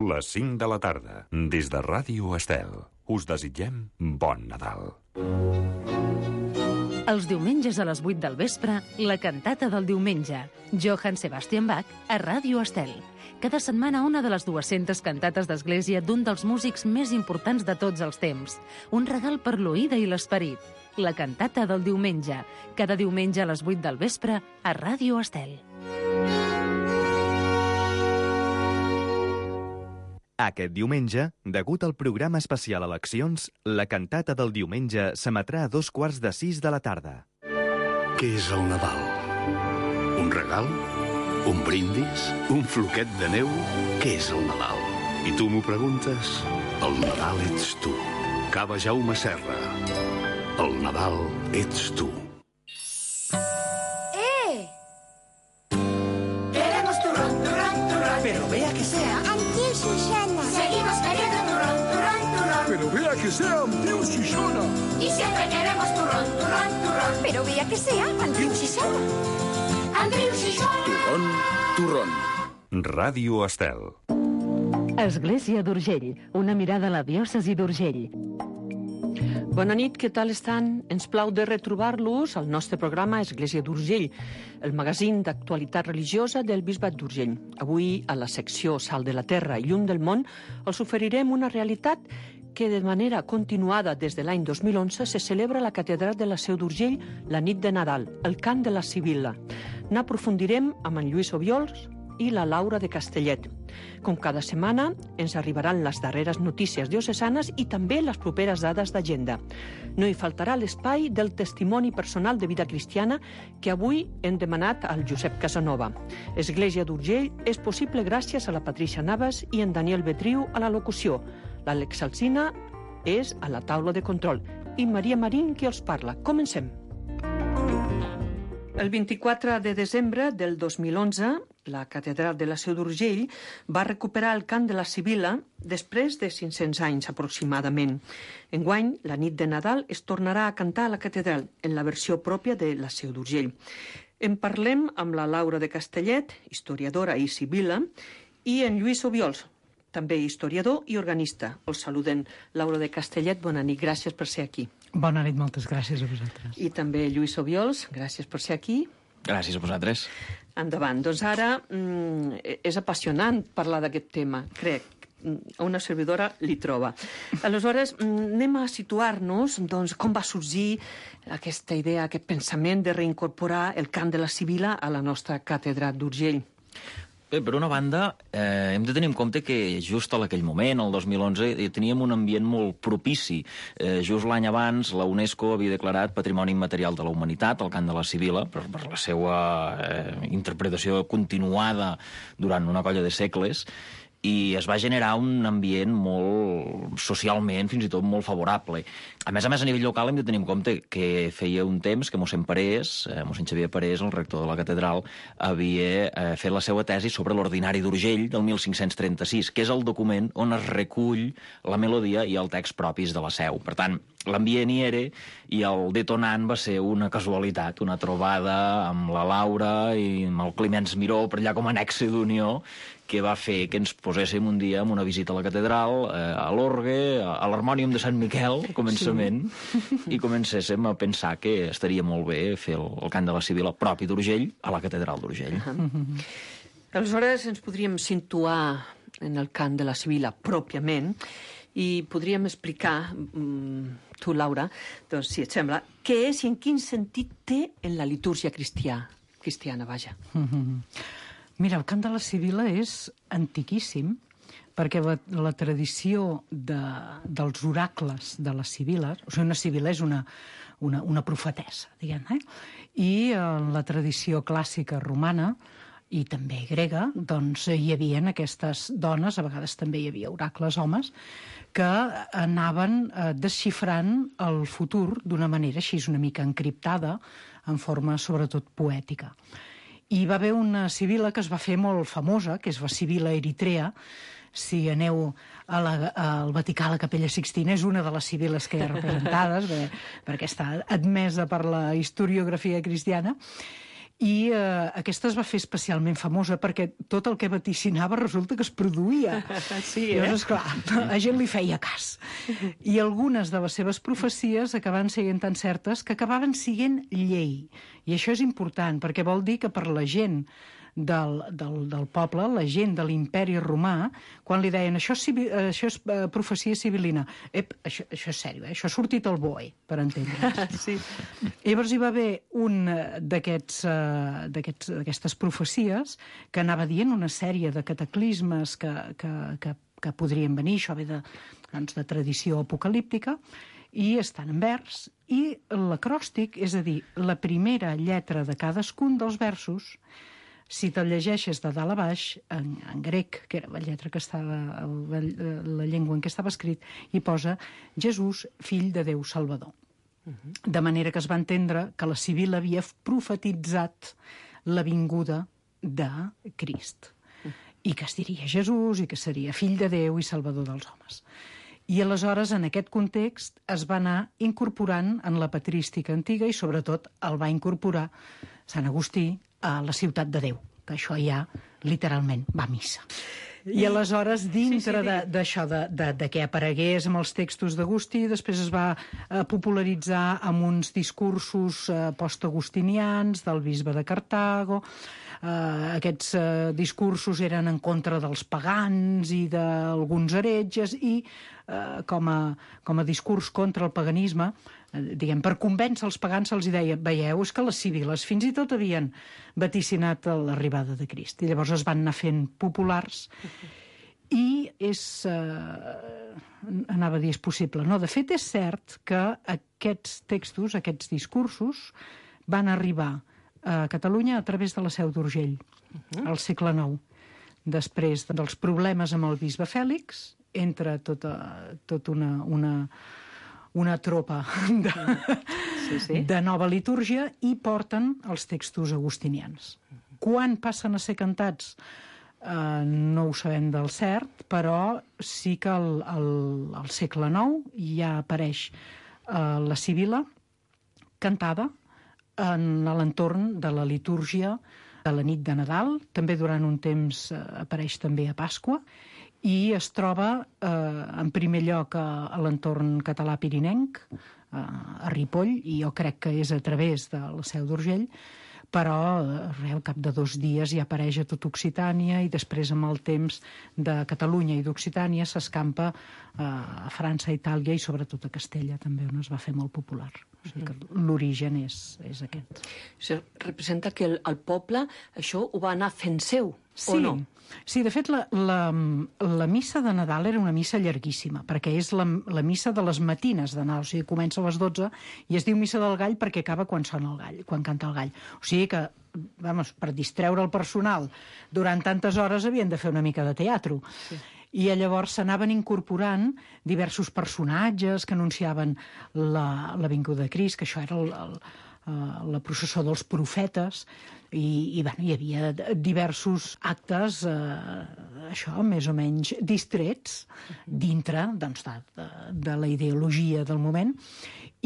Les 5 de la tarda, des de Ràdio Estel. Us desitgem bon Nadal. Els diumenges a les 8 del vespre, la cantata del diumenge. Johann Sebastian Bach a Ràdio Estel. Cada setmana una de les 200 cantates d'església d'un dels músics més importants de tots els temps. Un regal per l'oïda i l'esperit. La cantata del diumenge. Cada diumenge a les 8 del vespre a Ràdio Estel. Aquest diumenge, degut al programa especial Eleccions, la cantata del diumenge s'emetrà a 5:15 de la tarda. Què és el Nadal? Un regal? Un brindis? Un floquet de neu? Què és el Nadal? I tu m'ho preguntes? El Nadal ets tu. Cava Jaume Serra. El Nadal ets tu. Queremos turrón, turrón, turrón. Pero vea que sea. Tío Susana. Seguimos queriendo turrón, turrón, turrón. Pero vea que sea Tío Susana. Y siempre queremos turrón, turrón, turrón. Pero vea que sea Tío Susana. Andreu Susana. Turrón, turrón. Ràdio Estel. Església d'Urgell, una mirada a la diòcesi d'Urgell. Bona nit, què tal estan? Ens plau de retrobar-los al nostre programa Església d'Urgell, el magazín d'actualitat religiosa del Bisbat d'Urgell. Avui, a la secció Sal de la Terra i Llum del Món, els oferirem una realitat que de manera continuada des de l'any 2011 se celebra a la Catedral de la Seu d'Urgell la nit de Nadal, el cant de la Sibil·la. N'aprofundirem amb en Lluís Obiols i la Laura de Castellet. Com cada setmana, ens arribaran les darreres notícies diocesanes i també les properes dades d'agenda. No hi faltarà l'espai del testimoni personal de vida cristiana que avui hem demanat al Josep Casanova. Església d'Urgell és possible gràcies a la Patricia Navas i en Daniel Betriu a la locució. L'Àlex Alsina és a la taula de control i Maria Marín qui els parla. Comencem. El 24 de desembre del 2011, la Catedral de la Seu d'Urgell va recuperar el cant de la Sibil·la després de 500 anys aproximadament. Enguany, la nit de Nadal es tornarà a cantar a la catedral en la versió pròpia de la Seu d'Urgell. En parlem amb la Laura de Castellet, historiadora i sibil·la, i en Lluís Obiols, també historiador i organista. Els saluden. Laura de Castellet, bona nit, gràcies per ser aquí. Bona nit, moltes gràcies a vosaltres. I també Lluís Obiols, gràcies per ser aquí. Gràcies a vosaltres. Endavant. Doncs ara és apassionant parlar d'aquest tema, crec. A una servidora li troba. Aleshores, anem a situar-nos doncs, com va sorgir aquesta idea, aquest pensament de reincorporar el cant de la Sibil·la a la nostra catedral d'Urgell. Bé, per una banda, hem de tenir en compte que just en aquell moment, el 2011, teníem un ambient molt propici. Just l'any abans, la UNESCO havia declarat Patrimoni Immaterial de la Humanitat, el cant de la Sibil·la, per la seva interpretació continuada durant una colla de segles, i es va generar un ambient molt, socialment, fins i tot molt favorable. A més, a nivell local hem de tenir en compte que feia un temps que mossèn Parés, mossèn Xavier Parés, el rector de la catedral, havia fet la seva tesi sobre l'Ordinari d'Urgell del 1536, que és el document on es recull la melodia i el text propis de la seu. Per tant, l'ambient hi era i el detonant va ser una casualitat, una trobada amb la Laura i amb el Climenç Miró per allà com a nexe d'unió, que va fer que ens poséssim un dia amb una visita a la catedral, a l'orgue, a l'harmònium de Sant Miquel, al començament, sí. I comencéssim a pensar que estaria molt bé fer el cant de la Sibil·la propi d'Urgell a la catedral d'Urgell. Aleshores ens podríem situar en el cant de la Sibil·la pròpiament i podríem explicar, tu Laura, doncs, si et sembla, què és i en quin sentit té en la litúrgia cristiana, vaja. Mira, el cant de la Sibil·la és antiquíssim perquè la tradició dels oracles de la Sibil·la, o sigui, una Sibil·la és una profetessa, diguem, i en la tradició clàssica romana i també grega, doncs hi havia aquestes dones, a vegades també hi havia oracles homes, que anaven desxifrant el futur d'una manera així una mica encriptada, en forma sobretot poètica. I va haver una Sibil·la que es va fer molt famosa, que és la Sibil·la Eritrea. Si aneu al Vaticà, a la Capella Sixtina, és una de les Sibil·les que hi ha representades, perquè està admesa per la historiografia cristiana. I aquesta es va fer especialment famosa perquè tot el que vaticinava resulta que es produïa. Sí, Llavors, esclar, a gent li feia cas. I algunes de les seves profecies acabaven sent tan certes que acabaven sent llei. I això és important, perquè vol dir que per la gent del poble, la gent de l'imperi romà, quan li deien això és profecia sibilina, això és sèrio, això ha sortit al BOE, per entendre'ns. Sí. Llavors hi va haver un d'aquestes profecies que anava dient una sèrie de cataclismes que podrien venir, això ve de tradició apocalíptica, i estan en vers, i l'acròstic, és a dir, la primera lletra de cadascun dels versos, si te'l llegeixes de dalt a baix, en grec, que era la lletra que estava, la llengua en què estava escrit, hi posa Jesús, fill de Déu Salvador. De manera que es va entendre que la Sibil·la havia profetitzat la vinguda de Crist, i que es diria Jesús, i que seria fill de Déu i Salvador dels homes. I aleshores, en aquest context, es va anar incorporant en la patrística antiga i, sobretot, el va incorporar Sant Agustí a la ciutat de Déu, que això ja, literalment, va a missa. I aleshores, dintre d'això, de què aparegués amb els textos d'Agustí, després es va popularitzar amb uns discursos post-agustinians del bisbe de Cartago. Aquests discursos eren en contra dels pagans i d'alguns heretges, i com a discurs contra el paganisme, diguem, per convèncer els pagans se'ls deia, veieu, és que les sibil·les fins i tot havien vaticinat l'arribada de Crist, i llavors es van anar fent populars, i anava a dir, és possible. No, de fet, és cert que aquests textos, aquests discursos, van arribar a Catalunya a través de la Seu d'Urgell, al segle IX, després dels problemes amb el bisbe Fèlix, entre tota una tropa de nova litúrgia, i porten els textos agustinians. Quan passen a ser cantats no ho sabem del cert, però sí que al segle IX ja apareix la Sibil·la cantada en l'entorn de la litúrgia de la nit de Nadal, també durant un temps apareix també a Pasqua, i es troba en primer lloc a l'entorn català pirinenc, a Ripoll, i jo crec que és a través de la Seu d'Urgell, però al cap de 2 dies ja apareix a tot Occitània, i després amb el temps de Catalunya i d'Occitània s'escampa a França, Itàlia i sobretot a Castella també, on es va fer molt popular. O sigui que l'origen és aquest. Això representa que el poble això ho va anar fent seu, o no? Sí, de fet, la missa de Nadal era una missa llarguíssima, perquè és la missa de les matines de Nadal, o sigui, comença a les 12 i es diu missa del gall perquè acaba quan sona el gall, quan canta el gall. O sigui que, per distreure el personal durant tantes hores havien de fer una mica de teatre. Sí. I llavors s'anaven incorporant diversos personatges que anunciaven la vinguda de Crist, que això era la processó dels profetes, i hi havia diversos actes, això, més o menys distrets, dintre de la ideologia del moment,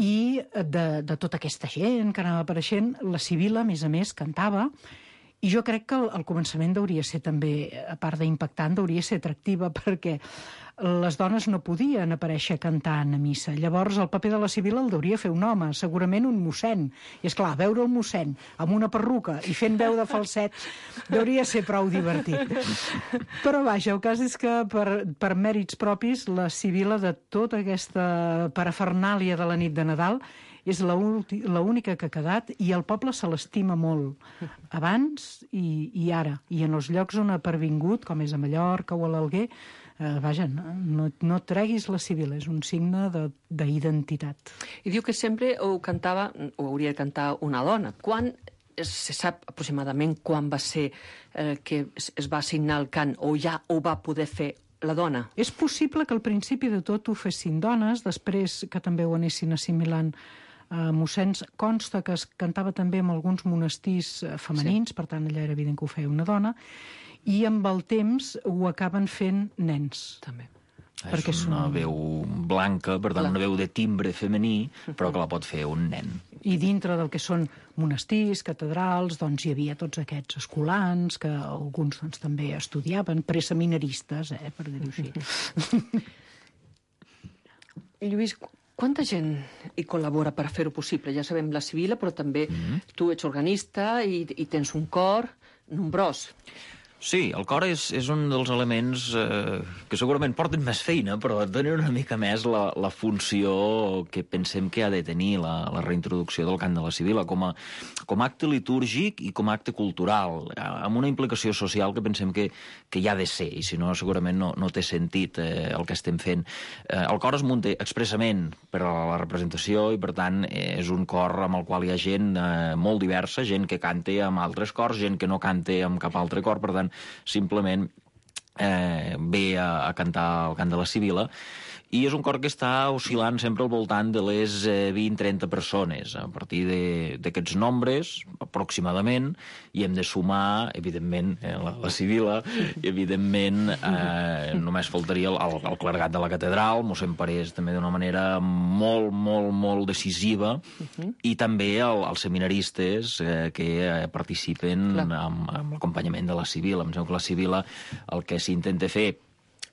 i de tota aquesta gent que anava apareixent. La Sibil·la, a més, cantava, i jo crec que al començament hauria ser també, a part d'impactant, hauria ser atractiva, perquè les dones no podien aparèixer cantant a missa. Llavors el paper de la Sibil·la el hauria fer un home, segurament un mossèn. I és clar, veure el mossèn amb una perruca i fent veu de falset hauria ser prou divertit. Però vaja, el cas és que per mèrits propis la Sibil·la de tota aquesta parafernàlia de la nit de Nadal és l'única que ha quedat, i el poble se l'estima molt, abans i ara. I en els llocs on ha pervingut, com és a Mallorca o a l'Alguer, vaja, no treguis la Sibil·la, és un signe d'identitat. I diu que sempre ho hauria de cantar una dona. Se sap aproximadament quan va ser que es va assignar el cant, o ja ho va poder fer la dona? És possible que al principi de tot ho fessin dones, després que també ho anessin assimilant mossens. Consta que es cantava també en alguns monestirs femenins, per tant allà era evident que ho feia una dona, i amb el temps ho acaben fent nens. També. És una veu blanca, per tant, una veu de timbre femení, però que la pot fer un nen. I dintre del que són monestirs, catedrals, doncs hi havia tots aquests escolans, que alguns doncs, també estudiaven, preseminaristes, per dir-ho així. Lluís, quanta gent hi col·labora per fer-ho possible? Ja sabem la Sibila, però també tu ets organista i tens un cor nombrós. Sí, el cor és un dels elements que segurament porten més feina, però donen una mica més la funció que pensem que ha de tenir la reintroducció del cant de la Sibila com a acte litúrgic i com a acte cultural, amb una implicació social que pensem que hi ha de ser, i si no segurament no té sentit el que estem fent. El cor es munta expressament per a la representació i, per tant, és un cor amb el qual hi ha gent molt diversa, gent que canta amb altres cors, gent que no canta amb cap altre cor, per tant, simplement ve a cantar el cant de la Sibila, i és un cor que està oscil·lant sempre al voltant de les 20-30 persones. A partir d'aquests nombres, aproximadament, hi hem de sumar, evidentment, la Sibila, i, evidentment, només faltaria el clergat de la catedral, mossèn Parés, també d'una manera molt, molt, molt decisiva, i també els seminaristes que participen amb l'acompanyament de la Sibila. Em sembla que la Sibila el que s'intenta fer,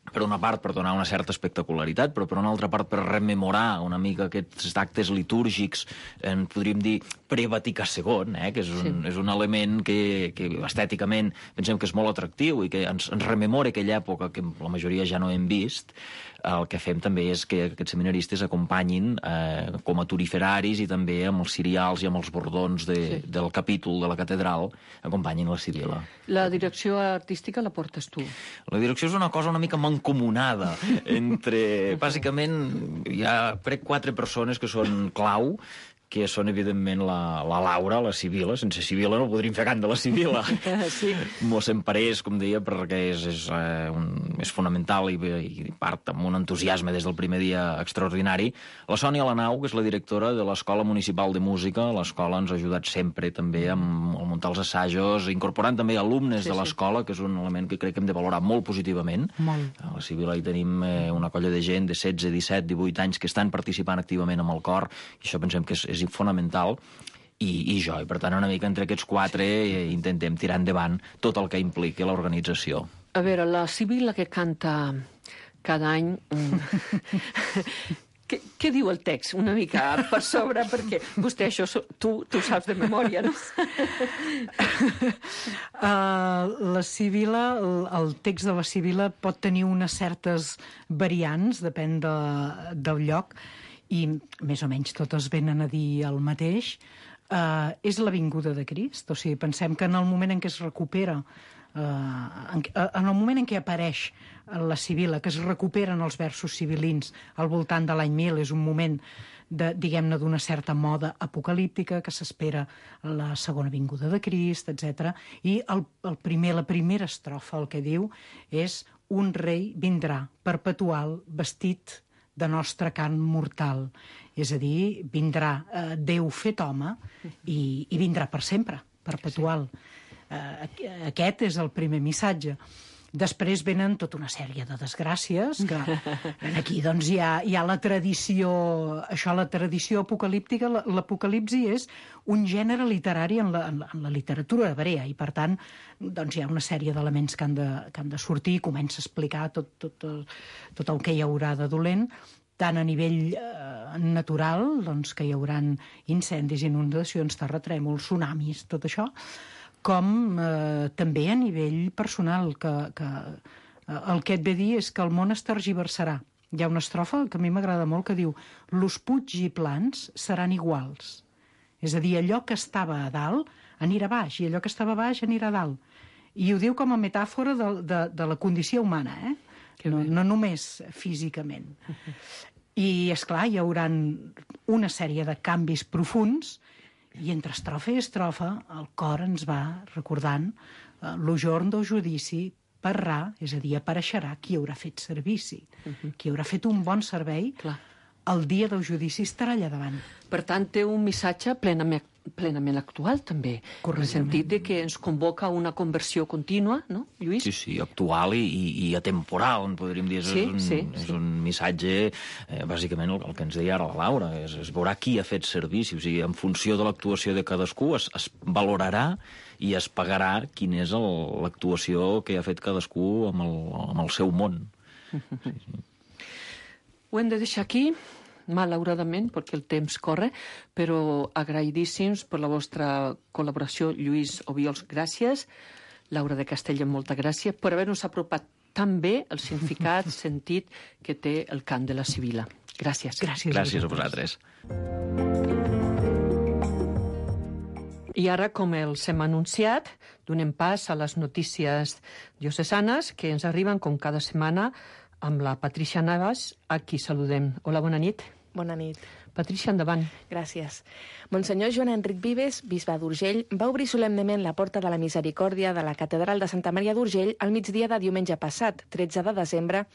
per una part per donar una certa espectacularitat, però per una altra part per rememorar una mica aquests actes litúrgics, podríem dir pre-Vaticà II, que és un element que estèticament pensem que és molt atractiu i que ens rememora aquella època que la majoria ja no hem vist. El que fem també és que aquests seminaristes acompanyin com a turiferaris i també amb els cirials i amb els bordons del capítol de la catedral, acompanyin la Sibila. La direcció artística la portes tu? La direcció és una cosa una mica mancomunada entre... Bàsicament, hi ha 4 persones que són clau, que són, evidentment, la Laura, la Sibila. Sense Sibila no podríem fer cant de la Sibila. Sí. Mossèn Parés, com deia, perquè és fonamental i part amb un entusiasme des del primer dia extraordinari. La Sònia Lanau, que és la directora de l'Escola Municipal de Música. L'escola ens ha ajudat sempre també a muntar els assajos, incorporant també alumnes de l'escola, que és un element que crec que hem de valorar molt positivament. Molt. A la Sibila hi tenim una colla de gent de 16, 17, 18 anys que estan participant activament amb el cor, i això pensem que és fonamental, i jo. I per tant, una mica entre aquests 4 intentem tirar endavant tot el que impliqui l'organització. A veure, la Sibila que canta cada any... Què diu el text? Una mica per sobre, perquè vostè això tu saps de memòria, no? La Sibila, el text de la Sibila pot tenir unes certes variants, depèn del lloc, i més o menys totes venen a dir el mateix. És la vinguda de Crist, o sigui, pensem que en el moment en què es recupera, en el moment en què apareix la Sibila, que es recuperen els versos sibilins al voltant de l'any 1000, és un moment diguem-ne, d'una certa moda apocalíptica, que s'espera la segona vinguda de Crist, etc. I la primera estrofa el que diu és: un rei vindrà perpetual vestit de nostra carn mortal. És a dir, vindrà Déu fet home i vindrà per sempre, perpetual. Aquest és el primer missatge. Després venen tota una sèrie de desgràcies, que aquí doncs hi ha la tradició, la tradició apocalíptica. L'apocalipsi és un gènere literari en la literatura hebrea, i per tant doncs hi ha una sèrie d'elements que han de sortir, i comença a explicar tot el que hi haurà de dolent, tant a nivell natural, doncs que hi haurà incendis, inundacions, terratrèmols, tsunamis, tot això, com també a nivell personal, que el que et ve dir és que el món es tergiversarà. Hi ha una estrofa que a mi m'agrada molt que diu: «Los puigs i plans seran iguals». És a dir, allò que estava a dalt anirà a baix, i allò que estava a baix anirà a dalt. I ho diu com a metàfora de la condició humana, no només físicament. I, esclar, hi haurà una sèrie de canvis profunds, i entre estrofa i estrofa el cor ens va recordant lo jorn del judici parrà, és a dir, apareixerà qui haurà fet servici, qui haurà fet un bon servei. El dia del judici estarà allà davant. Per tant, té un missatge plenament plenament actual, també. En el sentit que ens convoca a una conversió contínua, no, Lluís? Sí, actual i atemporal, podríem dir. És un missatge, bàsicament, el que ens deia ara la Laura, es veurà qui ha fet servici, o sigui, en funció de l'actuació de cadascú es valorarà i es pagarà quina és l'actuació que ha fet cadascú amb el seu món. Sí. Ho hem de deixar aquí, malauradament, perquè el temps corre, però agraïdíssims per la vostra col·laboració. Lluís Obiols, gràcies. Laura de Castelló, molta gràcia per haver-nos apropat tan bé el significat, sentit que té el cant de la Sibila. Gràcies. Gràcies a vosaltres. I ara, com els hem anunciat, donem pas a les notícies diocesanes que ens arriben com cada setmana amb la Patricia Navas, a qui saludem. Hola, bona nit. Bona nit. Patricia, endavant. Gràcies. Monsenyor Joan Enric Vives, bisbe d'Urgell, va obrir solemnement la porta de la Misericòrdia de la Catedral de Santa Maria d'Urgell al migdia de diumenge passat, 13 de desembre,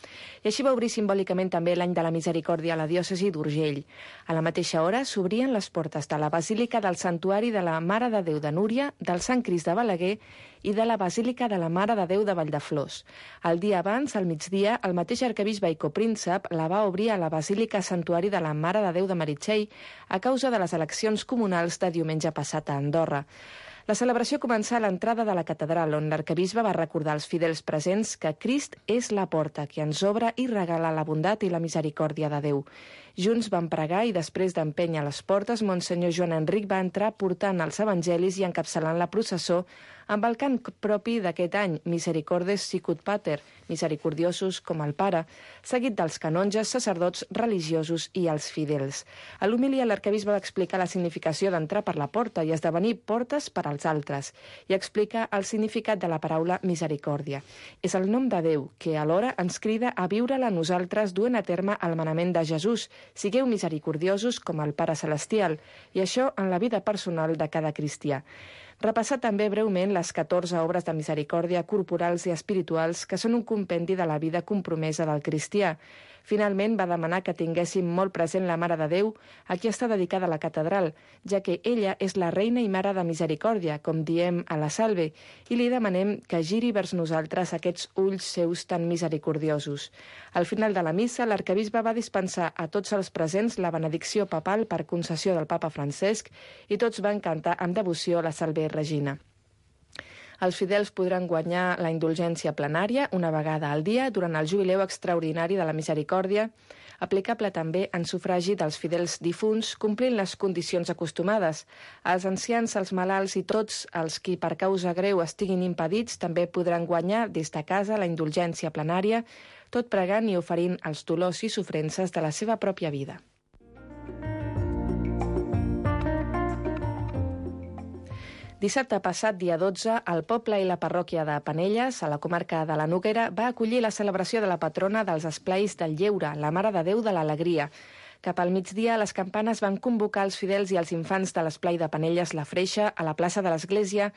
i així va obrir simbòlicament també l'any de la Misericòrdia a la diòcesi d'Urgell. A la mateixa hora s'obrien les portes de la Basílica del Santuari de la Mare de Déu de Núria, del Sant Crist de Balaguer i de la Basílica de la Mare de Déu de Valldeflors. El dia abans, al migdia, el mateix arquebisbe i copríncep la va obrir a la Basílica Santuari de la Mare de Déu de Meritxell a causa de les eleccions comunals de diumenge passat a Andorra. La celebració començà a l'entrada de la catedral, on l'arquebisbe va recordar als fidels presents que Crist és la porta que ens obre i regala la bondat i la misericòrdia de Déu. Junts van pregar i després d'empènyer les portes, Monsenyor Joan Enric va entrar portant els evangelis i encapçalant la processó amb el cant propi d'aquest any, Misericordes Sicut Pater, misericordiosos com el Pare, seguit dels canonges, sacerdots, religiosos i els fidels. A l'homilia, l'arquebisbe va explicar la significació d'entrar per la porta i esdevenir portes per als altres, i explica el significat de la paraula misericòrdia. És el nom de Déu, que alhora ens crida a viure-la nosaltres duent a terme el manament de Jesús, sigueu misericordiosos com el Pare Celestial, i això en la vida personal de cada cristià. Repassar també breument les 14 obres de misericòrdia corporals i espirituals que són un compendi de la vida compromesa del cristià. Finalment va demanar que tinguéssim molt present la Mare de Déu, a qui està dedicada la catedral, ja que ella és la reina i mare de misericòrdia, com diem a la Salve, i li demanem que giri vers nosaltres aquests ulls seus tan misericordiosos. Al final de la missa, l'arquebisbe va dispensar a tots els presents la benedicció papal per concessió del papa Francesc i tots van cantar amb devoció la Salve Regina. Els fidels podran guanyar la indulgència plenària una vegada al dia durant el jubileu extraordinari de la misericòrdia, aplicable també en sufragi dels fidels difunts, complint les condicions acostumades. Els ancians, els malalts i tots els qui per causa greu estiguin impedits també podran guanyar des de casa la indulgència plenària, tot pregant i oferint els dolors i sofrences de la seva pròpia vida. Dissabte passat, dia 12, el poble i la parròquia de Penelles, a la comarca de la Noguera, va acollir la celebració de la patrona dels esplais del Lleure, la Mare de Déu de l'Alegria. Cap al migdia, les campanes van convocar els fidels i els infants de l'esplai de Penelles La Freixa a la plaça de l'Església,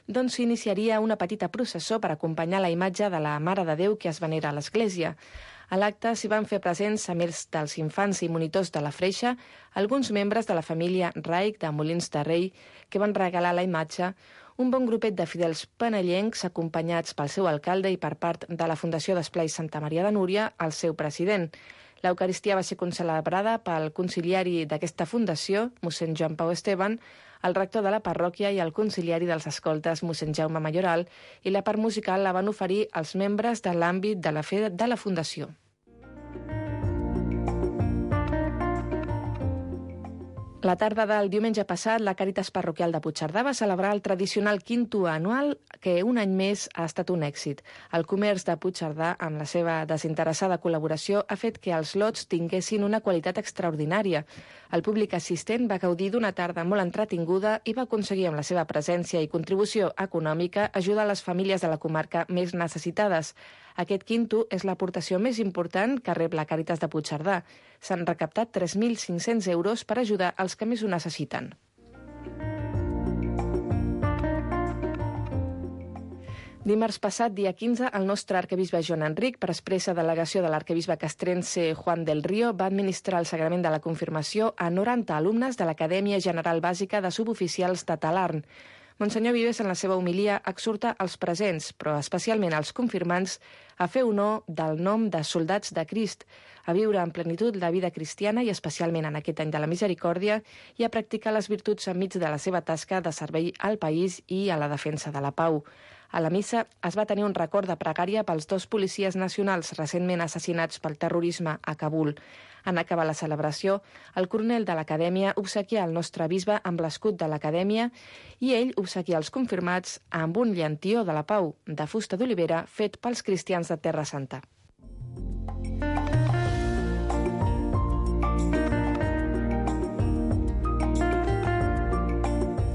d'on s'iniciaria una petita processó per acompanyar la imatge de la Mare de Déu que es venera a l'Església. A l'acte s'hi van fer presents, a més dels infants i monitors de la Freixa, alguns membres de la família Raig de Molins de Rei, que van regalar la imatge, un bon grupet de fidels penellencs acompanyats pel seu alcalde i per part de la Fundació d'Esplais Santa Maria de Núria, el seu president. L'Eucaristia va ser concelebrada pel conciliari d'aquesta fundació, mossèn Joan Pau Esteban, el rector de la parròquia i el conciliari dels escoltes, mossèn Jaume Mayoral, i la part musical la van oferir els membres de l'àmbit de la fe de la fundació. La tarda del diumenge passat, la Càritas Parroquial de Puigcerdà va celebrar el tradicional quinto anual que un any més ha estat un èxit. El comerç de Puigcerdà, amb la seva desinteressada col·laboració, ha fet que els lots tinguessin una qualitat extraordinària. El públic assistent va gaudir d'una tarda molt entretinguda i va aconseguir amb la seva presència i contribució econòmica ajudar les famílies de la comarca més necessitades. Aquest quinto és l'aportació més important que rep la Càritas de Puigcerdà. S'han recaptat 3.500 euros per ajudar els que més ho necessiten. Dimarts passat, dia 15, el nostre arquebisbe Joan Enric, per expressa delegació de l'arquebisbe castrense Juan del Río, va administrar el sagrament de la confirmació a 90 alumnes de l'Acadèmia General Bàsica de Suboficials de Talarn. Monsenyor Vives, en la seva homilia, exhorta els presents, però especialment als confirmants, a fer honor del nom de soldats de Crist, a viure en plenitud la vida cristiana i especialment en aquest any de la misericòrdia i a practicar les virtuts enmig de la seva tasca de servei al país i a la defensa de la pau. A la missa es va tenir un record de pregària pels 2 policies nacionals recentment assassinats pel terrorisme a Kabul. En acabar la celebració, el coronel de l'Acadèmia obsequià el nostre bisbe amb l'escut de l'Acadèmia i ell obsequià els confirmats amb un llantió de la pau de fusta d'olivera fet pels cristians de Terra Santa.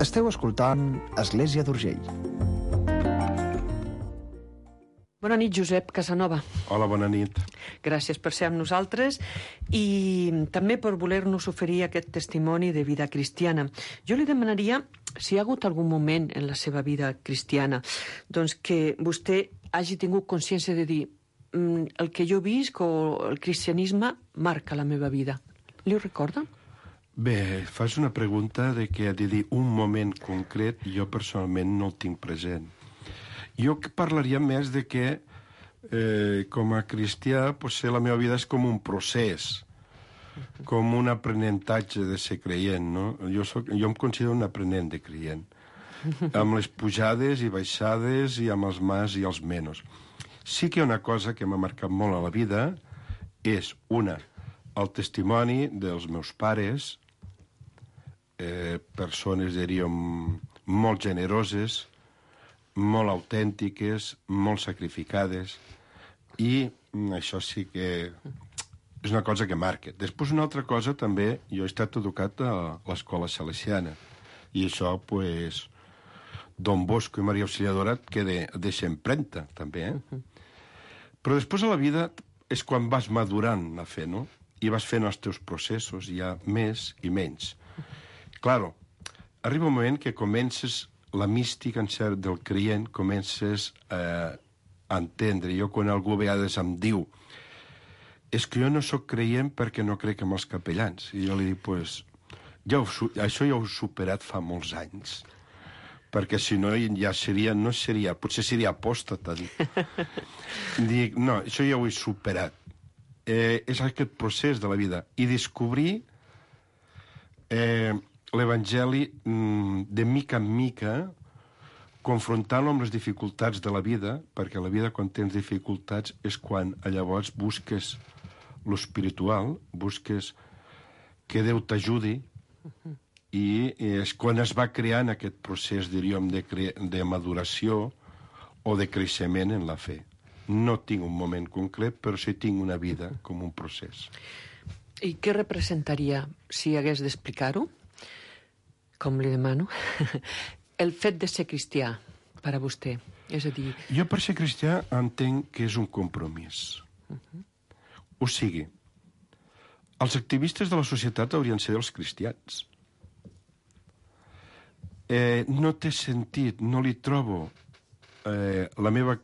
Esteu escoltant Església d'Urgell. Bona nit, Josep Casanova. Hola, bona nit. Gràcies per ser amb nosaltres i també per voler-nos oferir aquest testimoni de vida cristiana. Jo li demanaria si hi ha hagut algun moment en la seva vida cristiana doncs que vostè hagi tingut consciència de dir el que jo visc o el cristianisme marca la meva vida. Li ho recorda? Bé, fas una pregunta de que ha de dir un moment concret, jo personalment no el tinc present. Jo parlaria més de que, com a cristià, potser la meva vida és com un procés, com un aprenentatge de ser creient, no? Jo em considero un aprenent de creient, amb les pujades i baixades i amb els mas i els menos. Sí que una cosa que m'ha marcat molt a la vida és, el testimoni dels meus pares, persones, diríem, molt generoses, molt autèntiques, molt sacrificades, i això sí que és una cosa que marca. Després, una altra cosa, també, jo he estat educat a l'escola salesiana, i això, pues, Don Bosco i Maria Auxiliadora et deixa empremta, també, Però després a la vida és quan vas madurant la fe, no? I vas fent els teus processos, hi ha més i menys. Claro, arriba un moment que comences la mística del creient, comences a entendre. Jo, quan algú a vegades em diu és que jo no sóc creient perquè no crec en els capellans. I jo li dic, pues, això ja ho he superat fa molts anys. Perquè si no, ja potser seria apòstata. Dic, no, això ja ho he superat. És aquest procés de la vida. I descobrir l'Evangeli de mica en mica, confrontant-lo amb les dificultats de la vida, perquè la vida, quan tens dificultats, és quan llavors busques l'espiritual, busques que Déu t'ajudi, i és quan es va creant aquest procés, diríem, de maduració o de creixement en la fe. No tinc un moment concret, però sí tinc una vida com un procés. I què representaria, si hagués d'explicar-ho, com li demano, el fet de ser cristià per a vostè? És a dir... Jo per ser cristià entenc que és un compromís. O sigui, els activistes de la societat haurien de ser els cristians. No té sentit, no li trobo la meva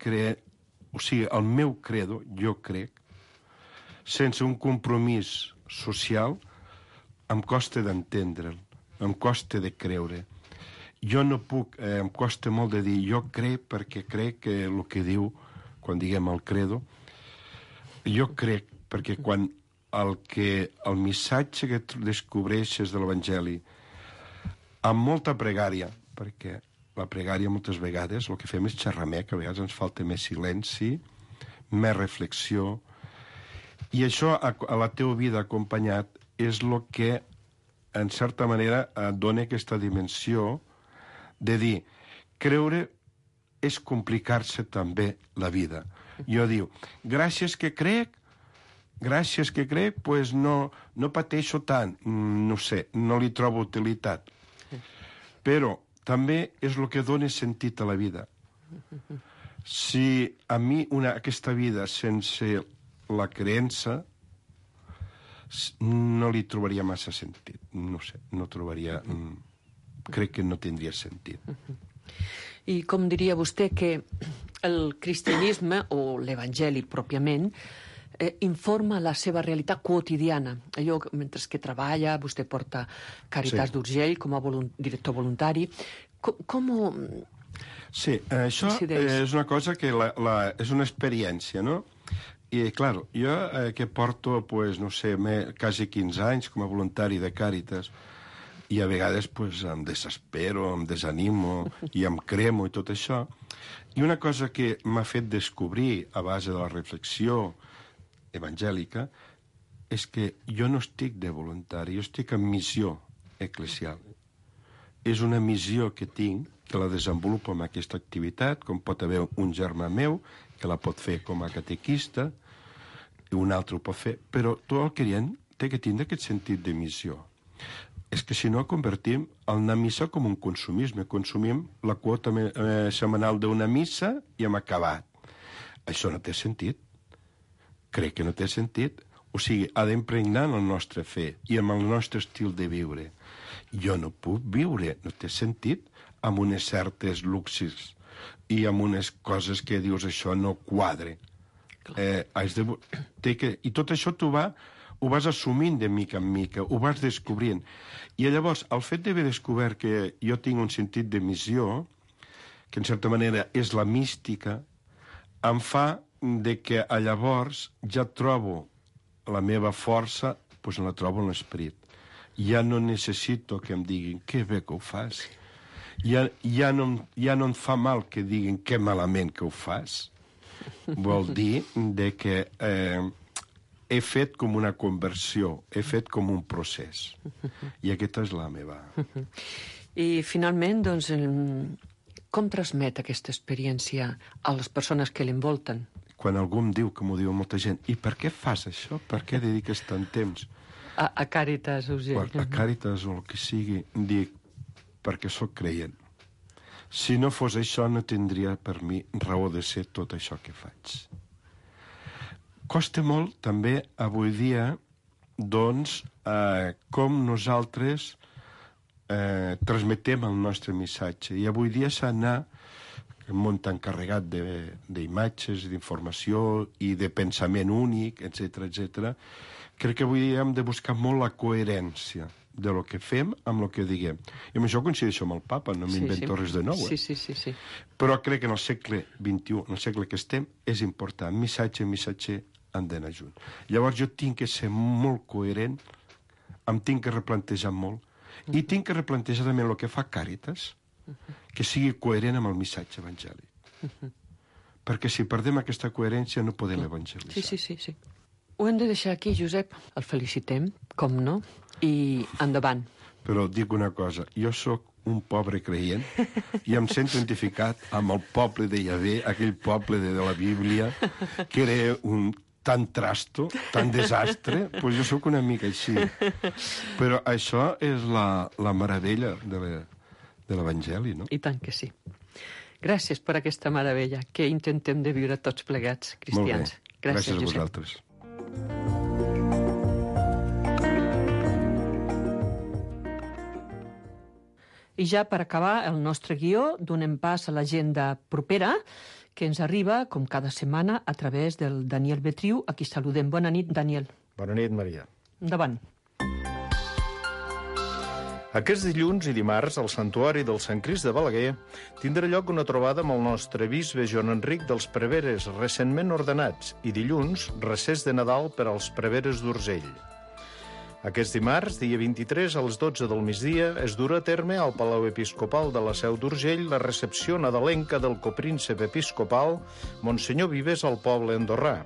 o sigui, el meu credo, jo crec, sense un compromís social, em costa d'entendre'l, em costa de creure. Jo no puc, em costa molt de dir, jo crec perquè crec que el que diu, quan diguem el credo, jo crec perquè quan el missatge que descobreixes de l'Evangeli, amb molta pregària, perquè la pregària moltes vegades el que fem és xerramer, que a vegades ens falta més silenci, més reflexió, i això a la teva vida acompanyat és el que, en certa manera, et dona aquesta dimensió de dir, creure és complicar-se també la vida. Jo diu, gràcies que crec, pues no pateixo tant, no sé, no li trobo utilitat. Però també és el que dona sentit a la vida. Si a mi aquesta vida sense la creença no li trobaria massa sentit. No sé, no trobaria... Crec que no tindria sentit. I com diria vostè que el cristianisme, o l'evangeli pròpiament, informa la seva realitat quotidiana. Allò, mentre que treballa, vostè porta Càritas d'Urgell com a director voluntari. Com Sí, això és una cosa que és una experiència, no? I, clar, jo que porto, pues, no sé, quasi 15 anys com a voluntari de Càritas, i a vegades pues, em desespero, em desanimo i em cremo i tot això. I una cosa que m'ha fet descobrir a base de la reflexió evangèlica és que jo no estic de voluntari, jo estic en missió eclesial. És una missió que tinc, que la desenvolupo amb aquesta activitat, com pot haver un germà meu que la pot fer com a catequista, i un altre ho pot fer, però tot el crient té que tindre aquest sentit de missió. És que si no convertim una missa com un consumisme. Consumim la quota setmanal d'una missa i hem acabat. Això no té sentit. Crec que no té sentit. O sigui, ha d'impregnar en el nostre fe i en el nostre estil de viure. Jo no puc viure, no té sentit, amb unes certes luxes i amb unes coses que dius això no quadre. I tot això ho vas assumint de mica en mica, ho vas descobrint. I llavors, el fet d'haver descobert que jo tinc un sentit de missió, que en certa manera és la mística, em fa de que llavors ja trobo la meva força, doncs la trobo en l'esperit. Ja no necessito que em diguin que bé que ho fas. Ja no em fa mal que diguin que malament que ho fas. Vol dir de que he fet com una conversió, he fet com un procés. I aquesta és la meva. I finalment, doncs, com transmet aquesta experiència a les persones que l'envolten? Quan algú em diu, que m'ho diu molta gent, i per què fas això? Per què dediques tant temps? A Càritas Urgell. A Càritas o el que sigui, dic, perquè sóc creient. Si no fos això, no tindria per mi raó de ser tot això que faig. Costa molt, també, avui dia, doncs, com nosaltres transmetem el nostre missatge. I avui dia s'ha d'anar un món tan carregat d'imatges, d'informació i de pensament únic, etc. Crec que avui dia hem de buscar molt la coherència de lo que fem amb el que diguem. I amb això coincideixo amb el papa, no m'invento res de nou. Sí. Però crec que en el segle XXI, en el segle que estem, és important. Missatge i missatger han d'anar junts. Llavors jo tinc que ser molt coherent, em tinc que replantejar molt, i tinc que replantejar també el que fa Càritas, que sigui coherent amb el missatge evangèlic. Perquè si perdem aquesta coherència no podem evangelitzar. Sí. Ho hem de deixar aquí, Josep. El felicitem, com no, i endavant. Però dic una cosa, jo sóc un pobre creient i em sento identificat amb el poble de Yahvé, aquell poble de la Bíblia, que era un tan trasto, tan desastre, doncs jo sóc una mica així. Però això és la meravella de l'Evangeli, no? I tant que sí. Gràcies per aquesta meravella que intentem de viure tots plegats, cristians. Molt bé. Gràcies a vosaltres. I ja per acabar el nostre guió, donem pas a l'agenda propera, que ens arriba, com cada setmana, a través del Daniel Betriu, a qui saludem. Bona nit, Daniel. Bona nit, Maria. Endavant. Aquest dilluns i dimarts, al Santuari del Sant Crist de Balaguer, tindrà lloc una trobada amb el nostre bisbe Joan Enric dels Preveres, recentment ordenats, i dilluns, recés de Nadal per als Preveres d'Urgell. Aquest dimarts, dia 23, a les 12 del migdia, es durà a terme al Palau Episcopal de la Seu d'Urgell la recepció nadalenca del copríncep episcopal Monsenyor Vives al poble andorrà.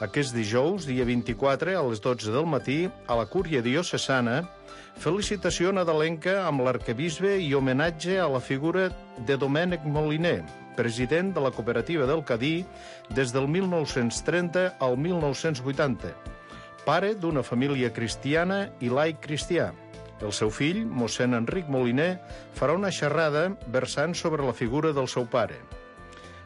Aquest dijous, dia 24, a les 12 del matí, a la Cúria Diocesana, felicitació nadalenca amb l'arquebisbe i homenatge a la figura de Domènec Moliner, president de la cooperativa del Cadí des del 1930 al 1980, pare d'una família cristiana i laic cristià. El seu fill, mossèn Enric Moliner, farà una xerrada versant sobre la figura del seu pare.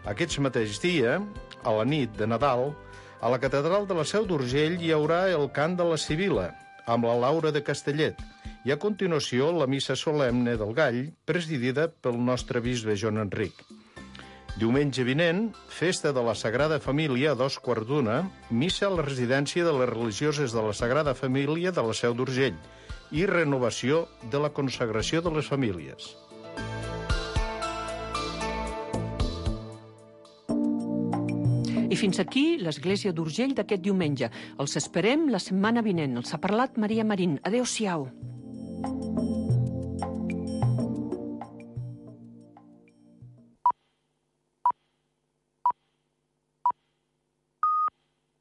Aquest mateix dia, a la nit de Nadal, a la catedral de la Seu d'Urgell hi haurà el cant de la Sibila, amb la Laura de Castellet, I a continuació, la missa solemne del Gall, presidida pel nostre bisbe Joan Enric. Diumenge vinent, festa de la Sagrada Família a 2:15, missa a la residència de les religioses de la Sagrada Família de la Seu d'Urgell i renovació de la consagració de les famílies. I fins aquí l'Església d'Urgell d'aquest diumenge. Els esperem la setmana vinent. Els ha parlat Maria Marín. Adéu-siau.